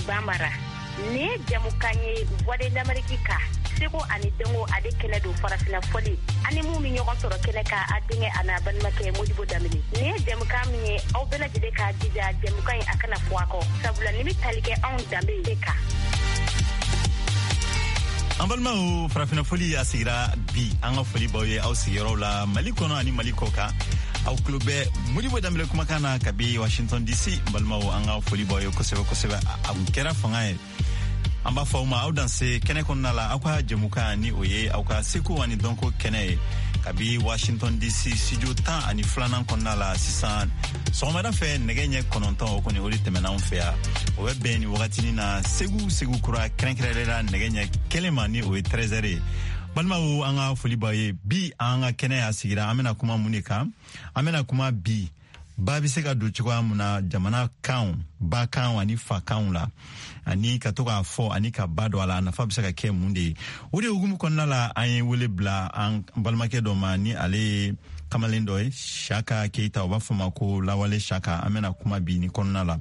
Bambara. Nin ye jamukan ye Voix de l'Amérique kan, seko ani dɔnko ale kɛnɛ don, farafina fɔli ani mun bɛ ɲɔgɔn sɔrɔ kɛnɛ kan, a denkɛ a n'a balimakɛ Modibo Danbele. Nin ye jamukan min ye, aw bɛɛ lajɛlen k'a jija jamukan in a kana fɔ a kɔ, sabula nin bɛ tali kɛ anw danbe de kan. An balimaw, farafina foli a sigira bi. An ka foli b'aw ye aw sigiyɔrɔw la, Mali kɔnɔ ani Mali kɔ kan. Aw tulo bɛ Modibo Danbele kumakan na kabi Washington DC. Balimaw, an ka foli b'aw ye kosɛbɛ kosɛbɛ. A kun kɛra fanga ye. An b'a fɔ aw ma aw danse kɛnɛ kɔnɔna la, aw ka jɛmukan ni o ye aw ka seko ani dɔnko kɛnɛ ye kabi Washington DC studio 12nan kɔnɔna la. Sisan sɔgɔmada fɛ nɛgɛ ɲɛ 9, o kɔni o de tɛmɛna anw fɛ yan. O bɛ bɛn nin wagatinin na Segu, Segu kura kɛrɛnkɛrɛnlen la, nɛgɛ ɲɛ 1 ma, ni o ye 13 ye. Balimaw, an ka foli b'aw ye. Bi an ka kɛnɛ y'a sigira, an bɛna kuma mun de kan? An bɛna kuma bi ba bɛ se ka don cogoya mun na jamana kanw, ba kanw ani fa kanw la, ani ka to k'a fɔ ani ka ba don a la, a nafa bɛ se ka kɛ mun de ye? O de hukumu kɔnɔna la, an ye wele bila an balimakɛ dɔ ma, ni ale ye kamalen dɔ ye, Saka Keita, u b'a fɔ ma ko Lawale Saka. An bɛna kuma bi ni kɔnɔna la.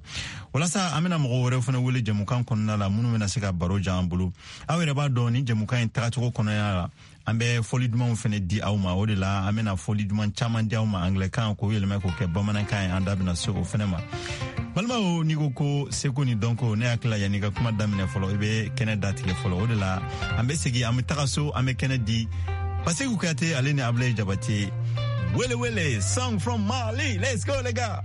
Walasa an bɛna mɔgɔ wɛrɛw fana wele jɛmukan kɔnɔna la, minnu bɛna se ka baro jan an bolo. Aw yɛrɛ b'a dɔn, ni jɛmukan in tagacogo kɔnɔna la, an bɛ fɔli dumanw fana di aw ma. O de la an bɛna fɔli duman caman di aw ma anglɛkan, k'o yɛlɛmɛ k'o kɛ bamanankan ye. An da bɛna se o fana ma. Balimaw, n'i ko ko seko ni dɔnko, ne hakili la, yanni ka kuma daminɛ fɔlɔ, i bɛ kɛnɛ datigɛ fɔlɔ. O de la an bɛ segin, an bɛ taga so, an bɛ kɛnɛ di Baseku Kuyate ale ni Abulaye Jabate. Wele wele song from Mali, let's go les gars.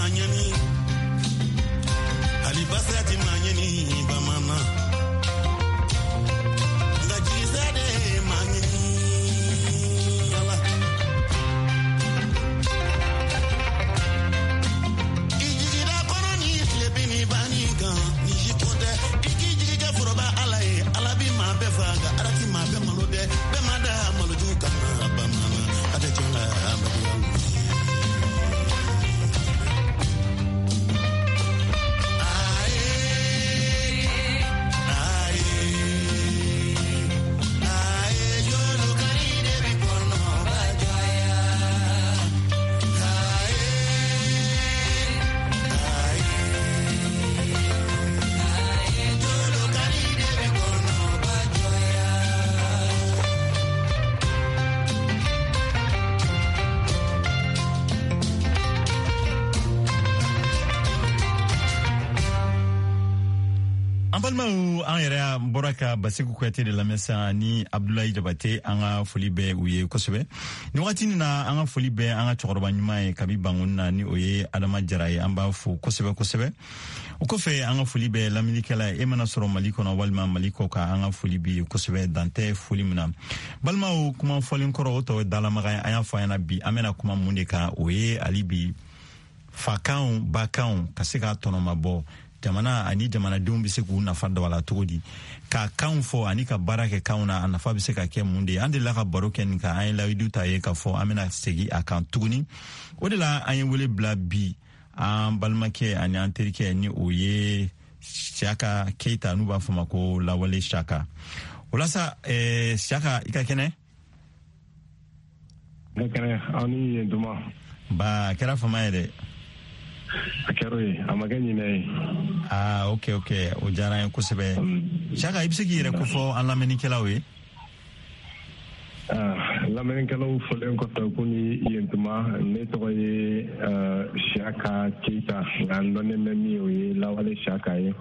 Ɲɛni, hali basaya ti maa ɲɛni bamanan. Balimaw, an yɛrɛ bɔra ka Basiku Kuyate de lamɛn sisan ni Abdulayi Jabate. An ka foli bɛ u ye kosɛbɛ nin wagati nin na. An ka foli bɛ an ka cɛkɔrɔba ɲuman ye kabi Bangoni na, ni o ye Adama Jara ye. An b'a fo kosɛbɛ kosɛbɛ. O kɔfɛ, an ka foli bɛ lamɛnnikɛla ye, e mana sɔrɔ Mali kɔnɔ walima Mali kɔ kan, an ka foli bi ye kosɛbɛ, dan tɛ foli min na. Balimaw, kuma fɔlen kɔrɔ, o tɔ ye dalamaga ye. An y'a fɔ an ɲɛna bi, an bɛna kuma mun de kan? O ye hali bi fakanw, bakanw ka se ka tɔnɔmabɔ jamana ani jamanadenw bɛ se k'u nafa dɔ a la cogo di, ka kanw fɔ ani ka baara kɛ kanw na, a nafa bɛ se ka kɛ mun de ye? An delila ka baro kɛ nin kan, an ye layidu ta ye k'a fɔ an bɛna segin a kan tuguni. O de la an ye wele bila bi an balimakɛ ani an terikɛ, ni o ye Siyaka Keyita, n'u b'a fɔ ma ko Lawale Siyaka. O la sa, Siyaka, i ka kɛnɛ? Ne kɛnɛ, aw ni yen tuma. Ba, a kɛra fama ye dɛ. A kɛra ye, a ma kɛ ɲinɛ ye. Aa, ok, o diyara an ye kosɛbɛ. Siyaka, i bɛ se k'i yɛrɛ kofɔ an lamɛnnikɛlaw ye? Lamɛnnikɛlaw fɔlen kɔfɛ ko ni yen tuma, ne tɔgɔ ye Siyaka Keyita, nka n dɔnnen bɛ min ye, o ye Lawale Siyaka ye.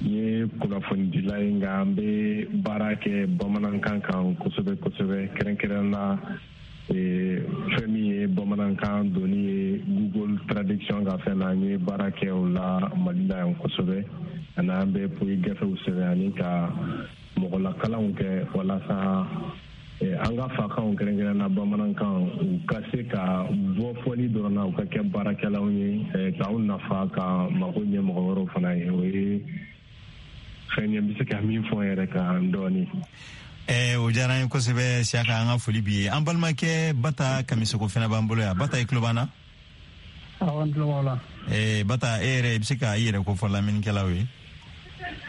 N ye kunnafonidila ye, nka an bɛ baara kɛ bamanankan kan kosɛbɛ kosɛbɛ, kɛrɛnkɛrɛn na fɛn min ye bamanankan donni ye Google traduction ka fɛn na. An ye baara kɛ o la Mali la yan kosɛbɛ, ani an bɛ poyi gafew sɛbɛn ani ka mɔgɔlakalanw kɛ walasa an ka fakanw, kɛrɛnkɛrɛn na bamanankan, u ka se ka bɔ fɔli dɔrɔn na, u ka kɛ baarakɛlaw ye k'aw nafa, ka mago ɲɛ mɔgɔ wɛrɛw fana ye. O ye fɛn ye n bɛ se ka min fɔ n yɛrɛ kan dɔɔni. O diyara an ye kosɛbɛ, Siyaka, an ka foli b'i ye. An balimakɛ Bata Kamisoko fana b'an bolo yan. Bata, i tulo b'an na? Awɔ, n tulo b'aw la. Bata, e yɛrɛ, i bɛ se ka i yɛrɛ kofɔ lamɛnnikɛlaw ye?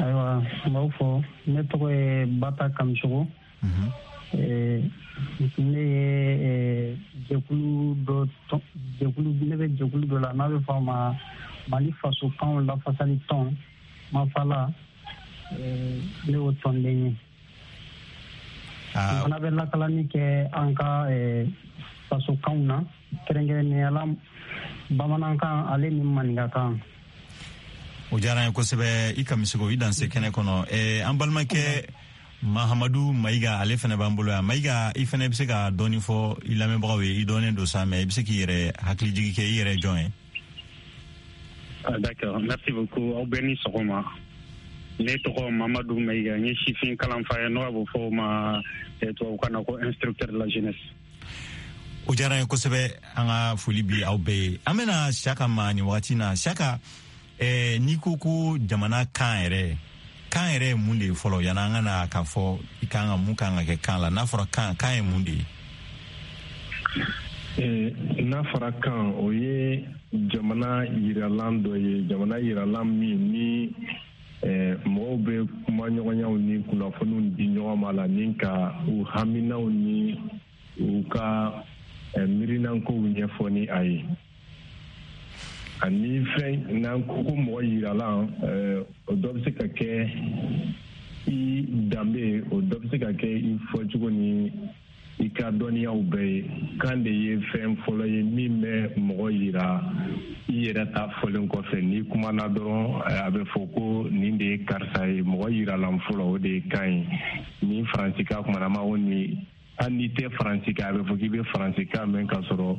Ayiwa, n b'aw fɔ. Ne tɔgɔ ye Bata Kamisogo. Ne ye jɛkulu dɔ, jɛkulu, ne bɛ jɛkulu dɔ la n'a bɛ fɔ a ma Mali fasokanw lafasali tɔn, Mafala. Ne y'o tɔnden ye. N fana bɛ lakalani kɛ an ka fasokanw na, kɛrɛnkɛrɛnnenya la bamanankan ale ni maninkakan. O diyara an ye kosɛbɛ, i Kamisoko, i danse kɛnɛ kɔnɔ. An balimakɛ Mahamadu Mayiga, ale fana b'an bolo yan. Mayiga, i fana bɛ se ka dɔɔni fɔ i lamɛnbagaw ye? I dɔnnen don sa, mais i bɛ se k'i yɛrɛ hakilijigi kɛ, i yɛrɛ jɔn ye? Ah, d'accord, merci beaucoup. Aw bɛɛ ni sɔgɔma. Ne tɔgɔ Mamadu Mayiga, n ye sifin kalanfa ye, n'o bɛ fɔ o ma tubabukan na ko instructeur de la jeunesse. O diyara n ye kosɛbɛ, an ka foli bi aw bɛɛ ye. An bɛna Siyaka ma nin wagati na. Siyaka, n'i ko ko jamana kan yɛrɛ, kan yɛrɛ ye mun de ye fɔlɔ, yanni an ka na k'a fɔ i kan ka mun kan ka kɛ kan la? N'a fɔra kan, kan ye mun de ye? N'a fɔra kan, o ye jamana yiralan dɔ ye, jamana yiralan min ni mɔgɔw bɛ kuma ɲɔgɔnyaw ni kunnafoniw di ɲɔgɔn ma la, ni ka u haminaw ni u ka miirinankow ɲɛfɔ ni a ye. Ani fɛn n'an ko ko mɔgɔ yiralan, o dɔ bɛ se ka kɛ i danbe, o dɔ bɛ se ka kɛ i fɔcogo ni i ka dɔnniyaw bɛɛ ye. Kan de ye fɛn fɔlɔ ye min bɛ mɔgɔ yira i yɛrɛ ta fɔlen kɔfɛ. N'i kumana dɔrɔn, a bɛ fɔ ko nin de ye karisa ye. Mɔgɔ yiralan fɔlɔ, o de ye kan ye. Ni faransikan kumana, ma ko ni hali n'i tɛ faransikan, a bɛ fɔ k'i bɛ faransikan mɛn ka sɔrɔ.